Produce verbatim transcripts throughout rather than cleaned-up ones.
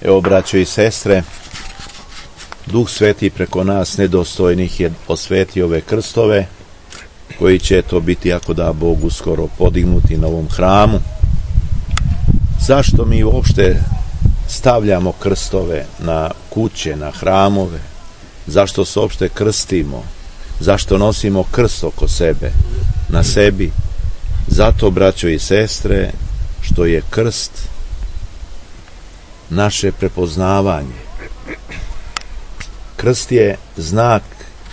Evo, braćo i sestre, Duh Sveti preko nas nedostojnih je osvetio ove krstove, koji će to biti, ako da Bog, uskoro podignuti na ovom hramu. Zašto mi uopšte stavljamo krstove na kuće, na hramove? Zašto se uopšte krstimo? Zašto nosimo krst oko sebe, na sebi? Zato, braćo i sestre, što je krst naše prepoznavanje. Krst je znak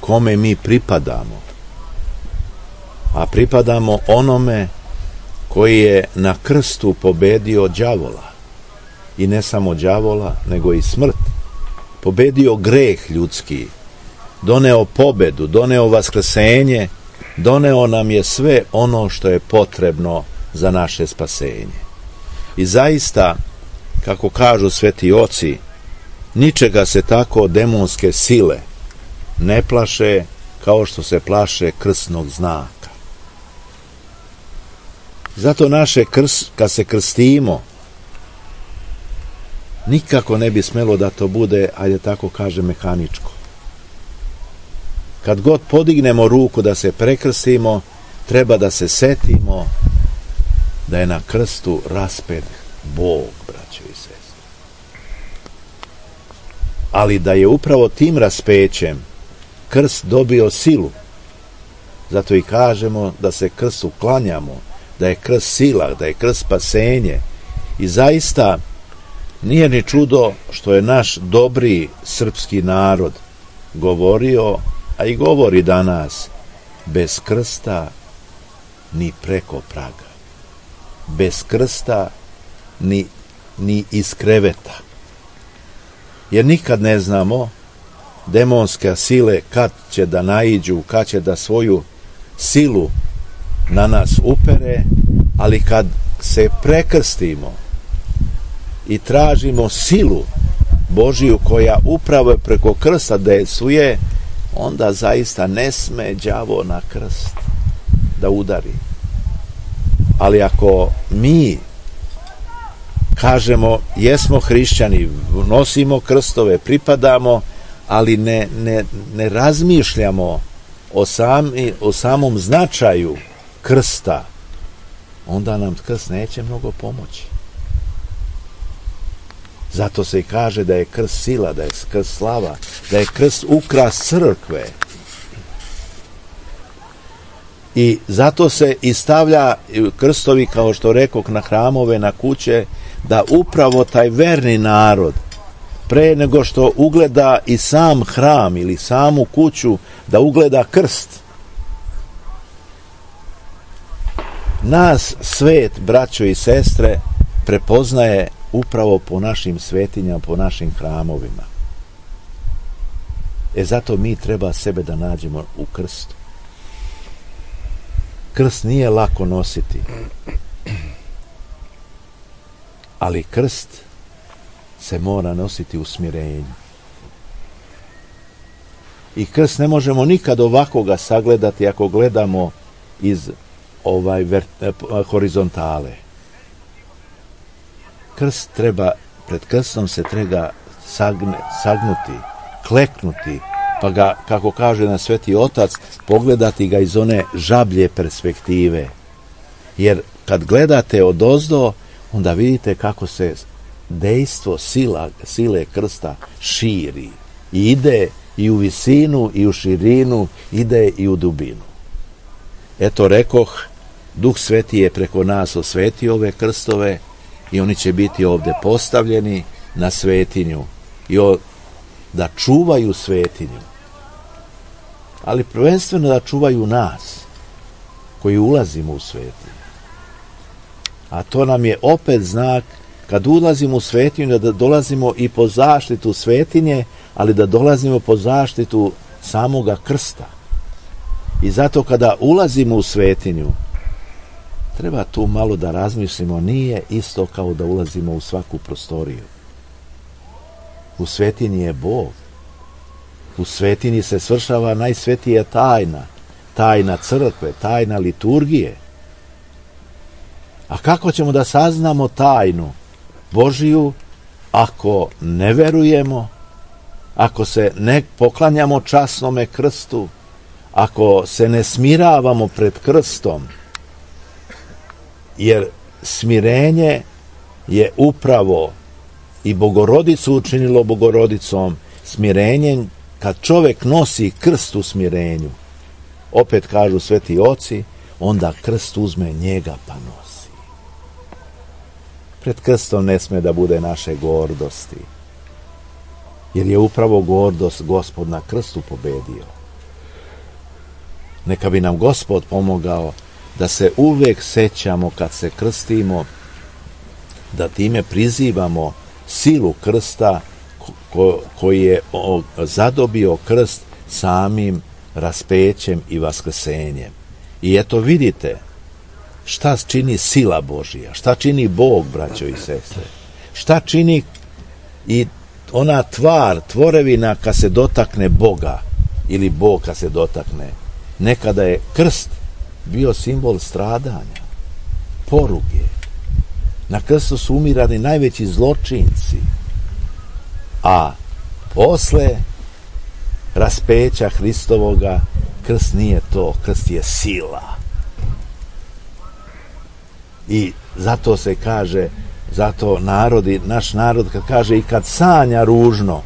kome mi pripadamo, a pripadamo onome koji je na krstu pobedio đavola, i ne samo đavola, nego i smrt, pobedio greh ljudski, doneo pobedu, doneo vaskrsenje, doneo nam je sve ono što je potrebno za naše spasenje. I zaista, kako kažu sveti oci, ničega se tako demonske sile ne plaše kao što se plaše krsnog znaka. Zato naše krst, kad se krstimo, nikako ne bi smelo da to bude, ajde tako kaže, mehaničko. Kad god podignemo ruku da se prekrstimo, treba da se setimo da je na krstu raspet Bog, braćo i sestre. Ali da je upravo tim raspećem krst dobio silu. Zato i kažemo da se krstu klanjamo, da je krst sila, da je krst spasenje. I zaista nije ni čudo što je naš dobri srpski narod govorio, a i govori danas, bez krsta ni preko praga, bez krsta ni, ni iz kreveta. Jer nikad ne znamo demonske sile kad će da naiđu, kad će da svoju silu na nas upere, ali kad se prekrstimo i tražimo silu Božiju koja upravo preko krsta dejstvuje, onda zaista ne sme đavo na krst da udari. Ali ako mi kažemo, jesmo hrišćani, nosimo krstove, pripadamo, ali ne, ne, ne razmišljamo o, sami, o samom značaju krsta, onda nam krst neće mnogo pomoći. Zato se i kaže da je krst sila, da je krst slava, da je krst ukras crkve. I zato se i stavlja krstovi, kao što rekok, na hramove, na kuće, da upravo taj verni narod, pre nego što ugleda i sam hram ili samu kuću, da ugleda krst. Nas svet, braćo i sestre, prepoznaje upravo po našim svetinjama, po našim hramovima. E zato mi treba sebe da nađemo u krstu. Krst nije lako nositi, ali krst se mora nositi u smirenju. I krst ne možemo nikad ovako sagledati ako gledamo iz ovaj vert- horizontale. Krst treba, pred krstom se treba sagne, sagnuti, kleknuti, pa ga, kako kaže na Sveti Otac, pogledati ga iz one žablje perspektive. Jer kad gledate odozdo, onda vidite kako se dejstvo sila, sile krsta širi. I ide i u visinu, i u širinu, ide i u dubinu. Eto, rekoh, Duh Sveti je preko nas osvetio ove krstove i oni će biti ovde postavljeni na svetinju i o, da čuvaju svetinju. Ali prvenstveno da čuvaju nas koji ulazimo u svetinju. A to nam je opet znak, kad ulazimo u svetinju, da dolazimo i po zaštitu svetinje, ali da dolazimo po zaštitu samoga krsta. I zato kada ulazimo u svetinju, treba tu malo da razmislimo, nije isto kao da ulazimo u svaku prostoriju. U svetinji je Bog. U svetinji se svršava najsvetija tajna, tajna crkve, tajna liturgije. A kako ćemo da saznamo tajnu Božiju ako ne verujemo, ako se ne poklanjamo časnome krstu, ako se ne smiravamo pred krstom, jer smirenje je upravo i Bogorodicu učinilo Bogorodicom, smirenjem, kad čovjek nosi krst u smirenju, opet kažu sveti oci, onda krst uzme njega pa nosi. Pred krstom ne sme da bude naše gordosti, jer je upravo gordost Gospod na krstu pobedio. Neka bi nam Gospod pomogao da se uvijek sećamo kad se krstimo, da time prizivamo silu krsta ko, koji je zadobio krst samim raspećem i vaskrsenjem. I eto vidite šta čini sila Božija, šta čini Bog, braćo i sestre, šta čini i ona tvar, tvorevina kad se dotakne Boga ili Bog kad se dotakne. Nekada je krst bio simbol stradanja, poruge. Na krstu su umirani najveći zločinci, a posle raspeća Hristovoga krst nije to, krst je sila. I zato se kaže, zato narodi, naš narod kad kaže i kad sanja ružno,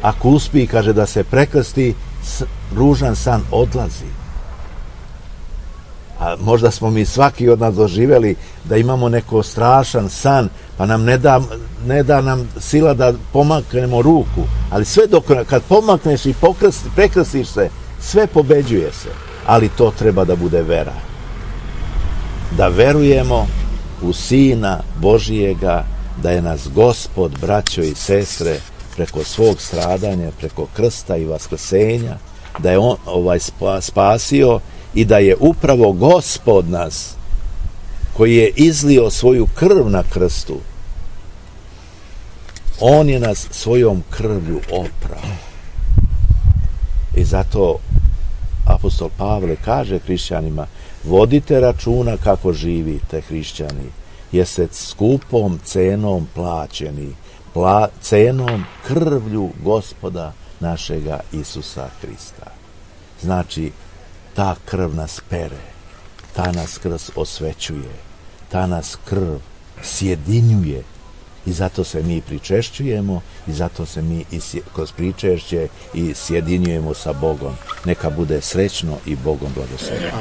ako uspije, kaže, da se prekrsti, ružan san odlazi. A možda smo mi svaki od nas doživjeli da imamo neko strašan san, pa nam ne da, ne da nam sila da pomaknemo ruku, ali sve dok, kad pomakneš i pokrsti, prekrstiš se, sve pobeđuje se, ali to treba da bude vera. Da verujemo u Sina Božijega, da je nas Gospod, braćo i sestre, preko svog stradanja, preko krsta i vaskrsenja, da je on ovaj spasio i da je upravo Gospod nas, koji je izlio svoju krv na krstu, on je nas svojom krvlju oprao. I zato apostol Pavle kaže hrišćanima, vodite računa kako živite, hrišćani, jer ste skupom cenom plaćeni, pla, cenom krvlju Gospoda našega Isusa Hrista. Znači, ta krv nas pere, ta nas krv osvećuje, ta nas krv sjedinjuje i zato se mi pričešćujemo i zato se mi i kroz pričešće i sjedinjujemo sa Bogom. Neka bude srećno i Bogom blagoslovljeno.